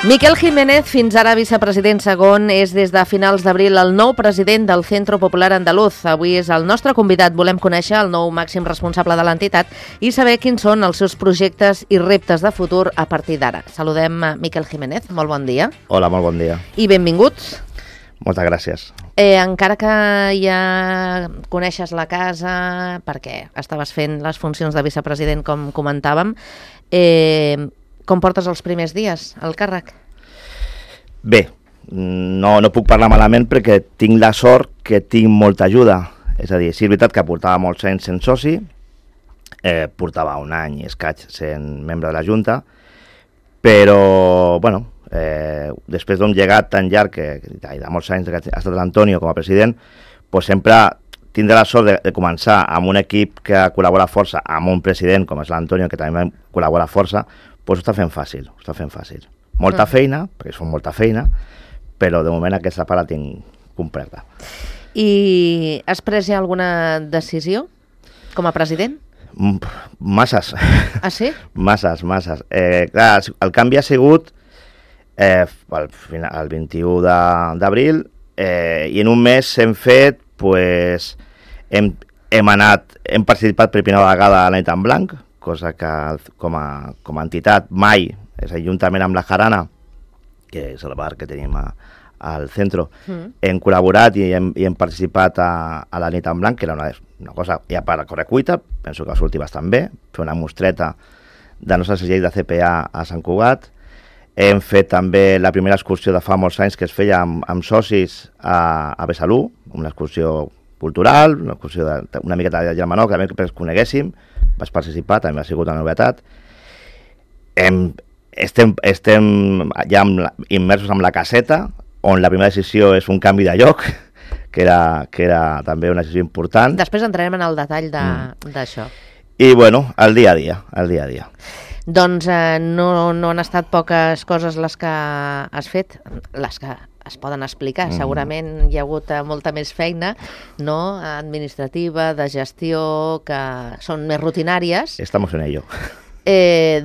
Miquel Jiménez, fins ara vicepresident segon, és des de finals d'abril el nou president del Centro Popular Andaluz. Avui és el nostre convidat. Volem conèixer el nou màxim responsable de l'entitat i saber quins són els seus projectes i reptes de futur a partir d'ara. Saludem a Miquel Jiménez. Molt bon dia. Hola, molt bon dia. I benvinguts. Moltes gràcies. Encara que ja coneixes la casa, perquè estaves fent les funcions de vicepresident, com comentàvem, com portes els primers dies al càrrec? Bé, no puc parlar malament perquè tinc la sort que tinc molta ajuda. És a dir, sí, és veritat que portava molts anys sent soci, portava un any i escaig sent membre de la Junta, però, bueno, després d'un llegat tan llarg, de molts anys que ha estat l'Antonio com a president, doncs sempre tindré la sort de començar amb un equip que col·labora força, amb un president com és l'Antonio, que també col·labora força, doncs ho està fent fàcil. Molta feina, perquè són molta feina, però de moment aquesta part la tinc completa. I has pres ja alguna decisió com a president? Masses. Ah, sí? Masses. Clar, el canvi ha sigut el 21 d'abril i en un mes hem fet, pues, hem participat per primera vegada a la nit en blanc, cosa que com a entitat mai, és a dir, juntament amb la Jarana, que és el bar que tenim al centre, hem col·laborat i hem participat a la nit en blanc, que era una cosa ja per córrer cuita, penso que va sortir bastant bé, fer una mostreta de nostre segell de CPA a Sant Cugat. Hem fet també la primera excursió de fa molts anys que es feia amb socis a Besalú, una excursió cultural, una excursió una miqueta de germanor, que també que ens coneguéssim, vaig participar, també ha sigut una novetat. Estem ja immersos en la caseta, on la primera decisió és un canvi de lloc, que era també una decisió important. Després entrarem en el detall d'això. I, bueno, el dia a dia. Doncs no han estat poques coses les que has fet, les que es poden explicar. Segurament hi ha hagut molta més feina, no? Administrativa, de gestió, que són més rutinàries. Estamos en ello.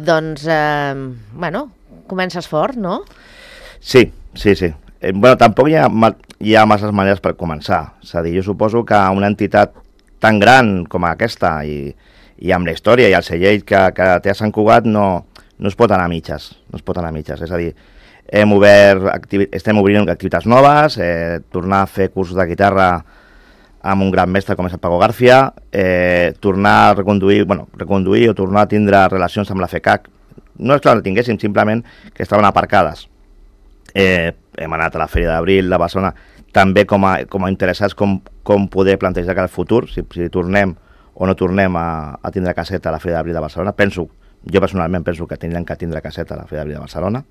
Doncs, bueno, comences fort, no? Sí. Bueno, tampoc hi ha masses maneres per començar. És a dir, jo suposo que una entitat tan gran com aquesta i amb la història i el segell que té a Sant Cugat no es pot anar a mitges. És a dir, estem obrint activitats noves, tornar a fer cursos de guitarra amb un gran mestre com és el Paco García, tornar a reconduir o tornar a tindre relacions amb la FECAC. No és que no tinguéssim, simplement que estaven aparcades. Hem anat a la Fèria d'Abril de Barcelona, també com a interessats com poder plantejar el futur, si tornem o no tornem a tindre caseta a la Fèria d'Abril de Barcelona. Jo personalment penso que tindrem que tindre caseta a la Fèria d'Abril de Barcelona,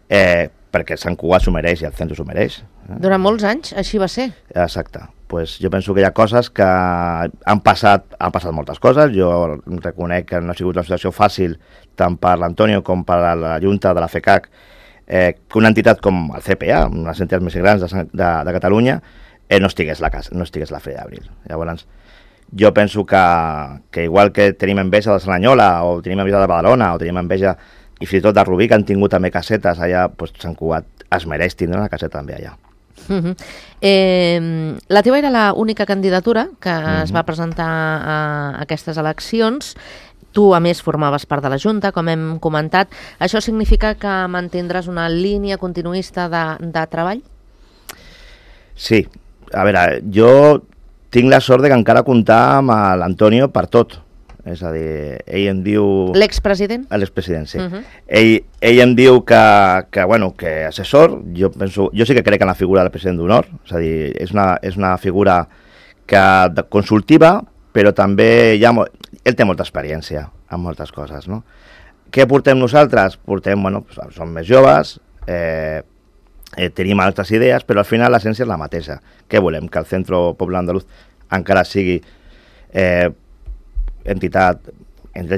perquè Sant Cugat s'ho mereix i el centre s'ho mereix. Durant molts anys així va ser. Exacte. Pues jo penso que hi ha coses que han passat moltes coses. Jo reconec que no ha sigut una situació fàcil tant per l'Antonio com per la Junta de la FECAC, que una entitat com el CPA, una de les entitats més grans de Catalunya, no estigués la Fèria d'Abril. Llavors, jo penso que igual que tenim enveja de Cerdanyola, o tenim enveja de Badalona, o tenim enveja, i fins i tot de Rubí, que han tingut també casetes allà, doncs Sant Cugat es mereix tindre una caseta també allà. La teva era l'única candidatura que es va presentar a aquestes eleccions. Tu, a més, formaves part de la Junta, com hem comentat. Això significa que mantindràs una línia continuista de treball? Sí. A veure, jo tinc la sort de que encara comptar amb l'Antonio per tot. És a dir, ell em diu... L'expresident? L'expresident, sí. Ell em diu que assessor, jo sí que crec en la figura del president d'honor, és a dir, és una figura consultiva, però també ell té molta experiència en moltes coses, no? Què portem nosaltres? Som més joves, tenim altres idees, però al final l'essència és la mateixa. Què volem? Que el Centro Popular Andaluz encara sigui entitat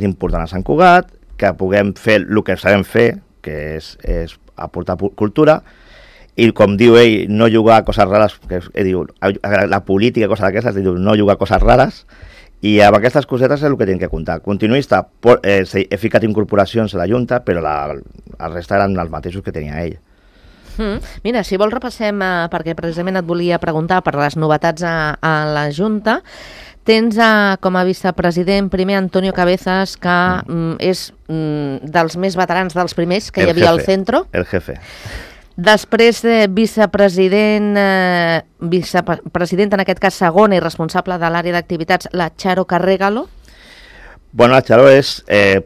important a Sant Cugat, que puguem fer el que sabem fer, que és aportar cultura, i com diu ell, no jugar a coses rares, que diu, la política, coses d'aquestes, diu, no jugar a coses rares, I amb aquestes cosetes és el que tinc que comptar. Continuista, he ficat incorporacions a la Junta, però el resta eren els mateixos que tenia ell. Mira, si vols repassem, perquè precisament et volia preguntar per les novetats a la Junta. Tens com a vicepresident primer Antonio Cabezas, que és dels més veterans, dels primers que hi havia al centro. El jefe. Després, vicepresident en aquest cas segon i responsable de l'àrea d'activitats, la Charo Carregalo. Bueno, la Charo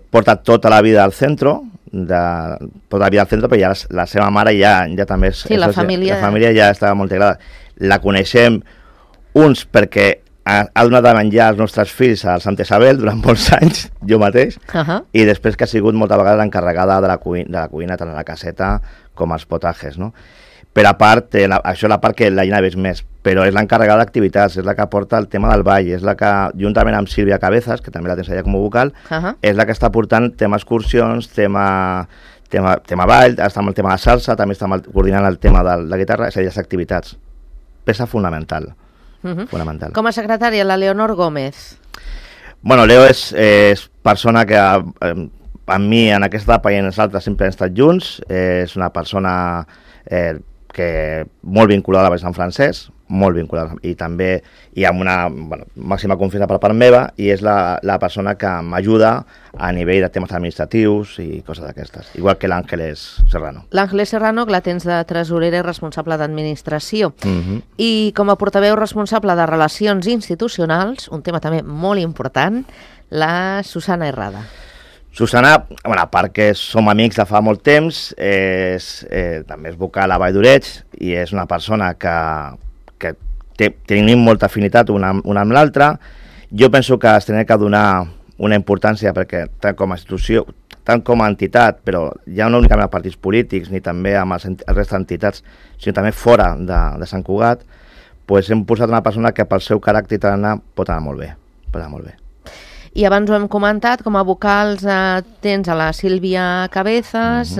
porta tota la vida al centro, però ja la seva mare ja també és... Sí, la família ja estava molt integrada. La coneixem uns perquè ha donat a menjar els nostres fills a Santa Isabel durant molts anys, jo mateix, i després que ha sigut molta vegada l'encarregada de la cuina, tant a la caseta com als potajes, no? Per a part, això és la part que la Gina ves més, però és l'encarregada d'activitats, és la que porta el tema del ball, és la que, juntament amb Sílvia Cabezas, que també la tens allà com a vocal, és la que està portant tema excursions, tema ball, està amb el tema de salsa, també està coordinant el tema de la guitarra, és a dir, les activitats. Peça fonamental. Fonamental. Com a secretària, la Leonor Gómez. Bueno, Leo és persona que amb mi en aquesta etapa i en les altres sempre hem estat junts, és una persona que molt vinculada a Sant Francesc, molt vinculada, i també hi ha una màxima confiança per part meva, i és la persona que m'ajuda a nivell de temes administratius i coses d'aquestes, igual que l'Àngeles Serrano. L'Àngeles Serrano, que la tens de tresorera i responsable d'administració. I com a portaveu responsable de relacions institucionals, un tema també molt important, la Susana Herrada. Susana, a part que som amics de fa molt temps, també és vocal a Vall d'Oreig i és una persona que tenim molta afinitat una amb l'altra. Jo penso que es tenia que donar una importància perquè tant com a institució, tant com a entitat, però ja no únicament als partits polítics ni també amb el resta d'entitats, sinó també fora de Sant Cugat, hem posat una persona que pel seu caràcter pot anar molt bé. I abans ho hem comentat, com a vocals tens a la Sílvia Cabezas,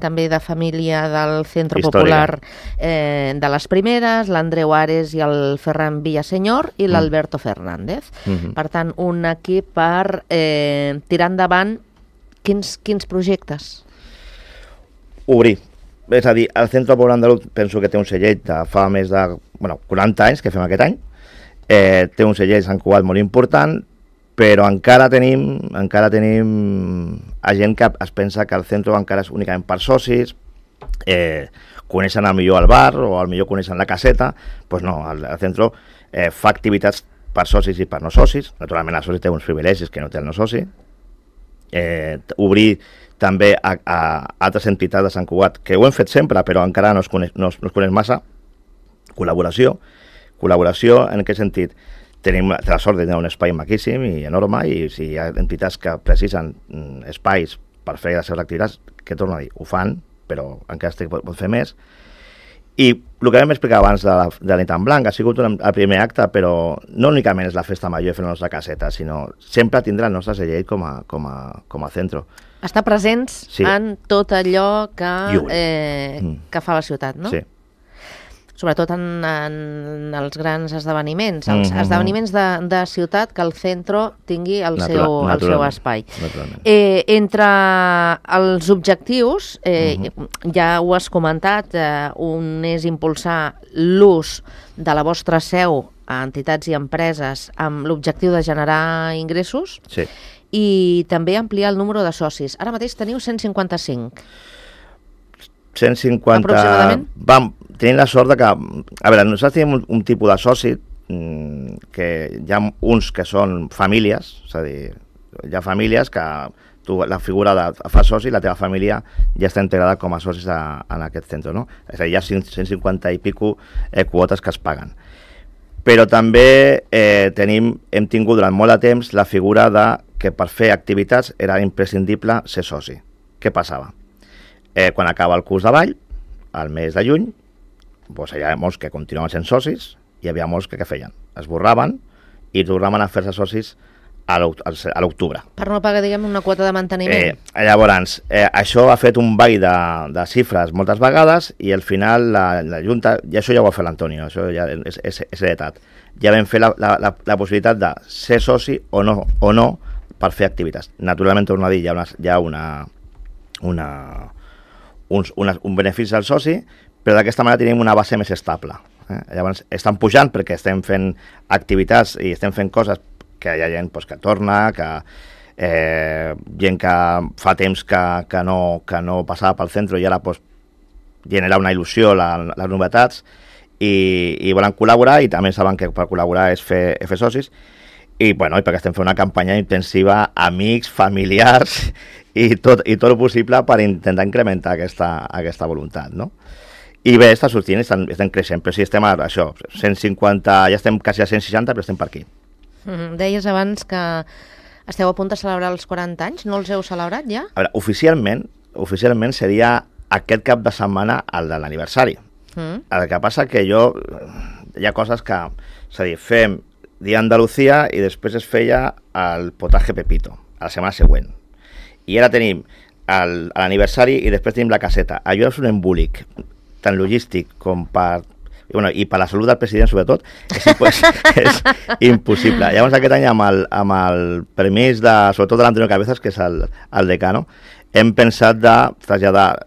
també de família del Centro Popular de les Primeres, l'Andreu Ares i el Ferran Villaseñor i l'Alberto Fernández. Per tant, un equip per tirar endavant quins projectes? Obrir. És a dir, el Centro Popular Andaluz penso que té un segell de fa més de 40 anys que fem aquest any. Té un segell Sant Cugat molt important, però encara tenim gent que es pensa que el centre encara és únicament per socis, coneixen millor el bar o millor coneixen la caseta. Doncs no, el centre fa activitats per socis i per no socis. Naturalment el soci té uns privilegis que no té el no soci. Obrir també a altres entitats de Sant Cugat, que ho hem fet sempre però encara no es coneix massa. Col·laboració en aquest sentit. Tenim la sort de tenir un espai maquíssim i enorme, i si hi ha entitats que precisen espais per fer les seves activitats, que torno a dir, ho fan, però encara es pot fer més. I el que vam explicar abans de la nit en blanc ha sigut el primer acte, però no únicament és la festa major i fer la nostra caseta, sinó sempre tindre el nostre segell com a centre. Estar presents en tot allò que fa la ciutat, no? Sí. Sobretot en els grans esdeveniments, els esdeveniments de ciutat, que el centre tingui el seu espai. Entre els objectius, ja ho has comentat, un és impulsar l'ús de la vostra seu a entitats i empreses amb l'objectiu de generar ingressos, i també ampliar el número de socis. Ara mateix teniu 155. 150... Aproximadament? Tenim la sort que... A veure, nosaltres tenim un tipus de soci que hi ha uns que són famílies, és a dir, hi ha famílies que tu la figura de fa soci, la teva família ja està integrada com a socis en aquest centre, no? És a dir, hi ha 150 i pico quotes que es paguen. Però també hem tingut durant molt de temps la figura de que per fer activitats era imprescindible ser soci. Què passava? Quan acaba el curs de ball, al mes de juny, doncs hi havia molts que continuaven sent socis i hi havia molts que feien? Es borraven i tornaven a fer-se socis a l'octubre. Per no pagar, diguem, una quota de manteniment. Llavors, això ha fet un ball de xifres moltes vegades i al final la Junta, i això ja ho va fer l'Antonio, això ja és heretat, ja vam fer la possibilitat de ser soci o no per fer activitats. Naturalment, torno a dir, hi ha un benefici al soci, però d'aquesta manera tenim una base més estable. Llavors, estan pujant perquè estem fent activitats i estem fent coses que hi ha gent que torna, gent que fa temps que no passava pel centre i ara genera una il·lusió les novetats i volen col·laborar, i també saben que per col·laborar és fer socis, i perquè estem fent una campanya intensiva, amics, familiars i tot el possible per intentar incrementar aquesta voluntat, no? I bé, està sortint, estem creixent, però sí, estem a això, 150, ja estem quasi a 160, però estem per aquí. Deies abans que esteu a punt de celebrar els 40 anys, no els heu celebrat ja? A veure, oficialment seria aquest cap de setmana el de l'aniversari. El que passa que hi ha coses que, és a dir, fem Dia Andalucía i després es feia el potaje Pepito, a la setmana següent. I ara tenim l'aniversari i després tenim la caseta. Allò és un embolic, tant logístic com i per la salut del president, sobretot, és impossible. Llavors, aquest any, amb el permís sobretot de l'Antonio Cabezas, que és el decano, hem pensat de traslladar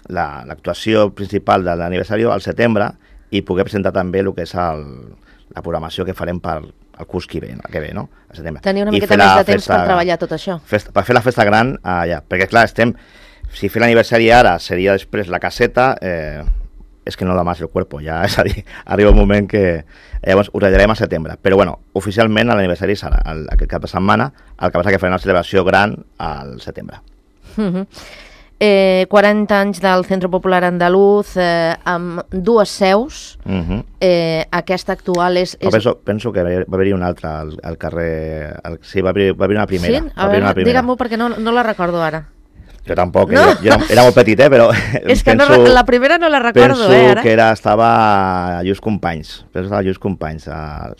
l'actuació principal de l'aniversari al setembre i poder presentar també el que és la programació que farem per el curs que ve, no? Al setembre. Tenir una miqueta més de temps per treballar tot això. Per fer la festa gran allà, perquè clar, si fer l'aniversari ara seria després la caseta, és que no da más el cuerpo, ja, és a dir, arriba un moment que llavors ho retirarem al setembre, però oficialment l'aniversari serà aquest cap de setmana, el que passa que farem una celebració gran al setembre. 40 anys del Centro Popular Andaluz, amb dues seus, aquesta actual és... Penso que va haver-hi una altra al carrer... Sí, va haver una primera. Sí? A veure, digue-m'ho perquè no la recordo ara. Jo tampoc, no? jo era molt petit, però... És que la primera no la recordo, ara. Penso que estava a Lluís Companys.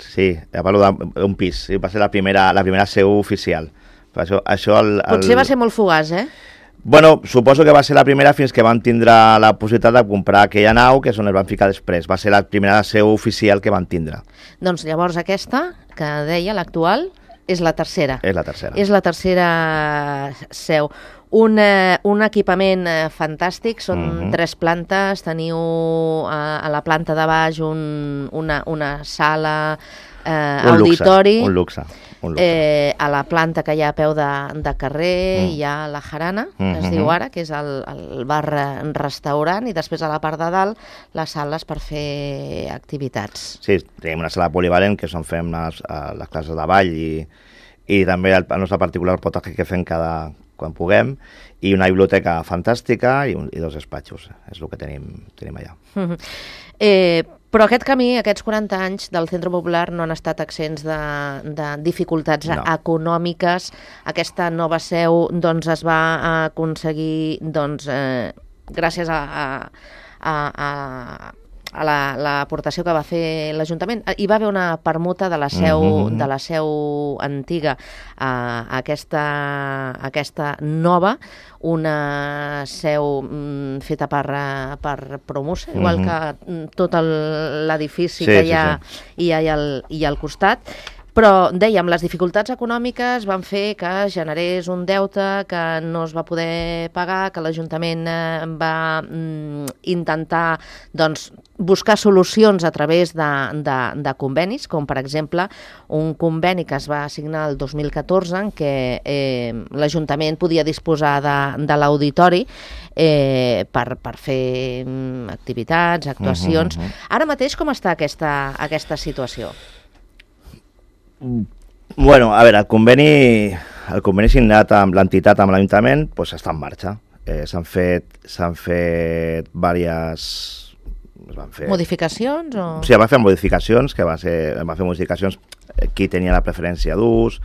Sí, parlo d'un pis. Va ser la primera seu oficial. Potser va ser molt fugaç, Bueno, suposo que va ser la primera fins que van tindre la possibilitat de comprar aquella nau, que és on es van ficar després. Va ser la primera seu oficial que van tindre. Doncs llavors aquesta, que deia, l'actual, és la tercera. És la tercera. És la tercera seu. Un equipament fantàstic, són 3 plantes, teniu a la planta de baix una sala, auditori. Un luxe. A la planta que hi ha a peu de carrer hi ha la Jarana, es diu ara, que és el bar-restaurant, i després a la part de dalt les sales per fer activitats. Sí, tenim una sala polivalent que on fem les classes de ball i també el nostre particular potatge que fem quan puguem, i una biblioteca fantàstica i 2 despatxos, és el que tenim allà. Però aquest camí, aquests 40 anys del Centre Popular no han estat exempts de dificultats econòmiques. Aquesta nova seu es va aconseguir gràcies a l'aportació que va fer l'Ajuntament. Hi va haver una permuta de la seu antiga a aquesta nova, una seu feta per Promusa, igual que tot l'edifici que hi ha al costat. Però, dèiem, les dificultats econòmiques van fer que generés un deute que no es va poder pagar, que l'Ajuntament va intentar buscar solucions a través de convenis, com per exemple un conveni que es va signar el 2014 en què l'Ajuntament podia disposar de l'auditori per fer activitats, actuacions. Ara mateix com està aquesta situació? Bueno, a veure, el conveni signat amb l'entitat, amb l'Ajuntament, està en marxa. S'han fet diverses... Modificacions? Sí, va fer modificacions, va fer modificacions qui tenia la preferència d'ús,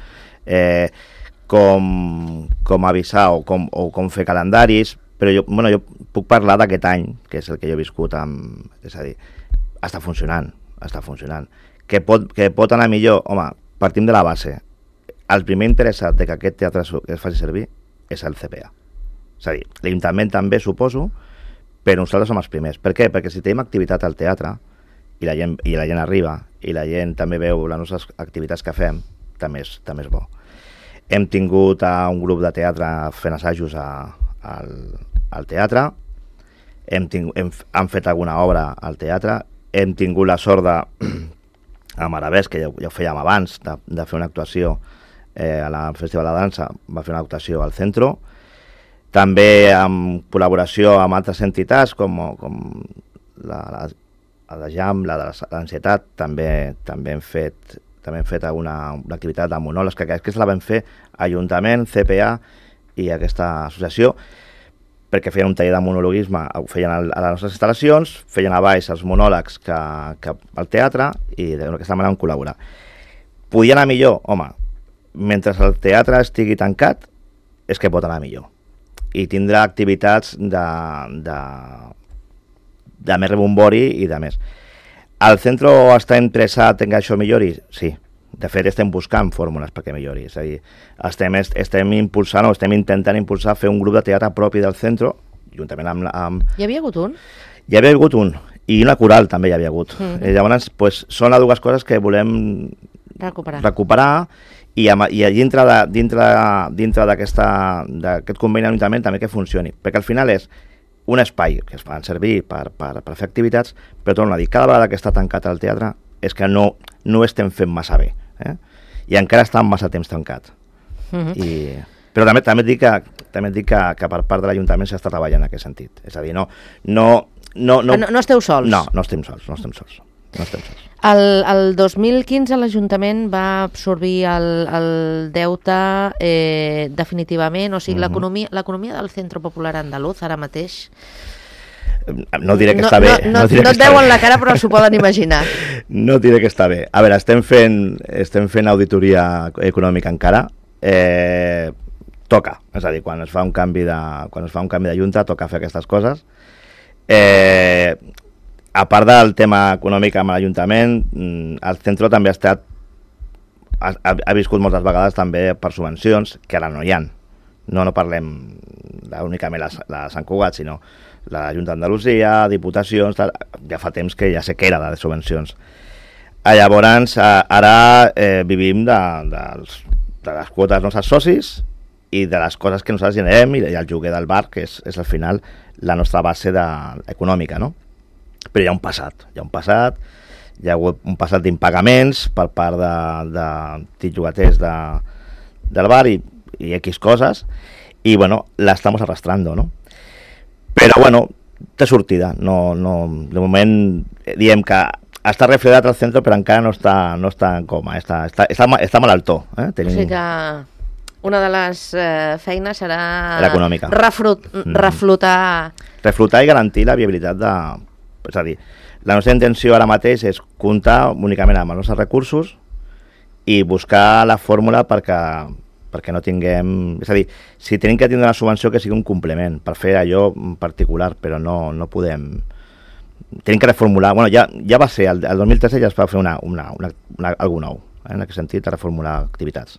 com avisar o com fer calendaris, però jo puc parlar d'aquest any, que és el que jo he viscut, és a dir, està funcionant. Que pot anar millor? Home, partim de la base. el primer interessat de que aquest teatre es faci servir és el CPA. És a dir, l'Ajuntament també, suposo, però nosaltres som els primers. Per què? Perquè si tenim activitat al teatre i la gent arriba i la gent també veu les nostres activitats que fem, també és bo. Hem tingut un grup de teatre fent assajos al teatre, han fet alguna obra al teatre, hem tingut la sort a Maravès, que ja ho fèiem abans, de fer una actuació al Festival de Dansa, va fer una actuació al centre, també en col·laboració amb altres entitats com la de JAM, la de l'Ansietat, també hem fet una activitat de monòlegs, que aquesta la vam fer Ajuntament, CPA i aquesta associació, perquè feien un taller de monologuisme, ho feien a les nostres instal·lacions, feien a baix els monòlegs que al teatre i d'aquesta manera vam col·laborar. Podia anar millor? Home, mentre el teatre estigui tancat, és que pot anar millor. I tindrà activitats de més rebombori i de més. El centre està interessat en que això millori? Sí. De fet, estem buscant fórmules perquè millori. És a dir, estem impulsant o estem intentant impulsar fer un grup de teatre propi del centre, juntament amb... Hi havia hagut un? Hi havia hagut un. I una coral també hi havia hagut. Llavors, són les dues coses que volem recuperar i dintre d'aquest conveni d'Ajuntament també que funcioni, perquè al final és un espai que es fan servir per fer activitats, però torno a dir, cada vegada que està tancat el teatre és que no estem fent massa bé, i encara està massa temps tancat. Però també et dic que per part de l'Ajuntament s'està treballant en aquest sentit, és a dir, no esteu sols? No estem sols. El 2015 l'Ajuntament va absorbir el deute definitivament, o sigui, l'economia del Centre Popular Andaluz ara mateix... No diré que està bé. No et veuen la cara, però s'ho poden imaginar. No diré que està bé. A veure, estem fent auditoria econòmica encara. Toca, és a dir, quan es fa un canvi de junta, toca fer aquestes coses. A part del tema econòmic amb l'Ajuntament, el centre també ha viscut moltes vegades també per subvencions, que ara no hi ha. No parlem únicament de Sant Cugat, sinó la Junta d'Andalusia, diputacions, ja fa temps que ja sé que era de subvencions. Llavors, ara vivim de les quotes dels nostres socis i de les coses que nosaltres generem i el lloguer del bar, que és al final la nostra base econòmica, no? Però hi ha un passat, hi ha hagut un passat d'impagaments per part de llogaters del bar i X coses, i bueno, la estamos arrastrando, no? Però bueno, té sortida, de moment diem que està refredat al centre, però encara no està en coma, està malaltó. O sigui que una de les feines serà l'econòmica. Reflotar i garantir la viabilitat és a dir, la nostra intenció ara mateix és comptar únicament amb els nostres recursos i buscar la fórmula perquè no tinguem... És a dir, si tenim que tindre una subvenció que sigui un complement per fer allò en particular, però no podem... Tenim que reformular... Bueno, ja va ser, el 2013 ja es va fer algú nou, en aquest sentit, a reformular activitats.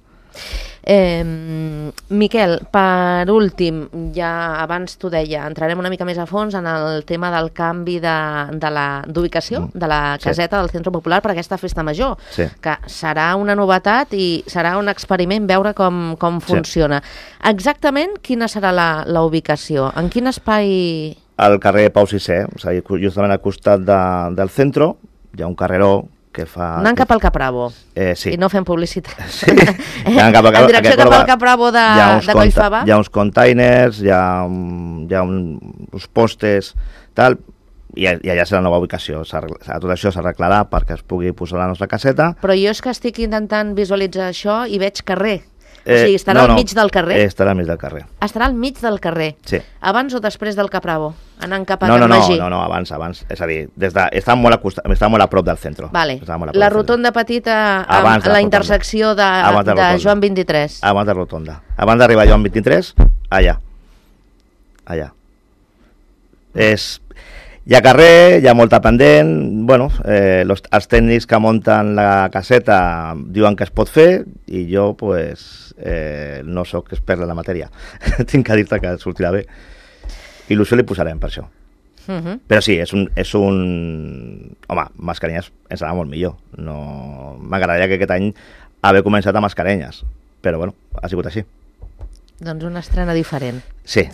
Miquel, per últim, ja abans t'ho deia, entrarem una mica més a fons en el tema del canvi d'ubicació de la caseta del Centre Popular per aquesta festa major, que serà una novetat i serà un experiment veure com funciona. Exactament quina serà la ubicació? En quin espai? Al carrer Pau VI, és a dir, justament al costat del centre, hi ha un carreró que fa... Anant cap al Capravo. Sí. I no fem publicitat. Sí. En direcció cap al Capravo de Collfabà. Hi ha uns containers, hi ha uns postes, tal, i allà serà la nova ubicació. Tot això s'arreglarà perquè es pugui posar la nostra caseta. Però jo és que estic intentant visualitzar això i veig carrer. O sigui, estarà al mig del carrer? Estarà al mig del carrer. Estarà al mig del carrer? Sí. Abans o després del Capravo? Anant cap a Can Magí? No, abans. És a dir, està molt a prop del centre. Vale. La rotonda petita amb la intersecció de Joan 23. Abans de rotonda. Abans d'arribar a Joan 23, allà. Hi ha carrer, hi ha molta pendent, bueno, els tècnics que munten la caseta diuen que es pot fer i jo pues, no sóc expert en la matèria. Tinc que dir-te que sortirà bé. Il·lusió li posarem per això. Però sí, és un... Home, mascarenyes ens anava molt millor. No... M'agradaria que aquest any haver començat amb mascarenyes, però bueno, ha sigut així. Doncs una estrena diferent. Sí.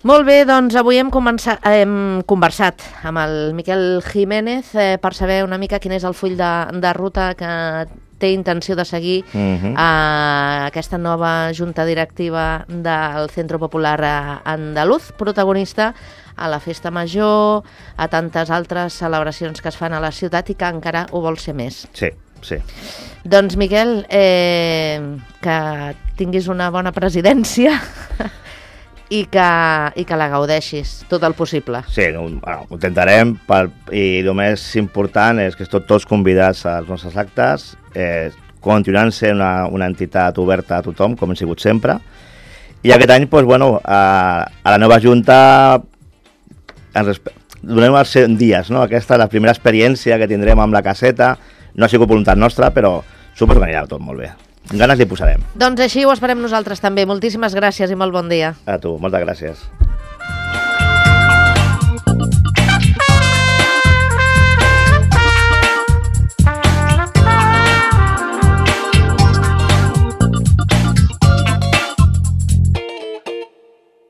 Molt bé, doncs avui hem conversat amb el Miquel Jiménez per saber una mica quin és el full de ruta que té intenció de seguir aquesta nova junta directiva del Centro Popular Andaluz, protagonista a la Festa Major, a tantes altres celebracions que es fan a la ciutat i que encara ho vol ser més. Sí. Doncs, Miquel, que tinguis una bona presidència i que la gaudeixis tot el possible. Sí, ho intentarem i el més important és que tots convidats als nostres actes, continuant sent una entitat oberta a tothom, com hem sigut sempre, i aquest any, doncs, bueno, a la nova Junta donem els 100 dies, no? Aquesta és la primera experiència que tindrem amb la caseta, no ha sigut voluntat nostra, però suposo que anirà tot molt bé. Ganes li posarem. Doncs així ho esperem nosaltres també. Moltíssimes gràcies i molt bon dia. A tu, moltes gràcies.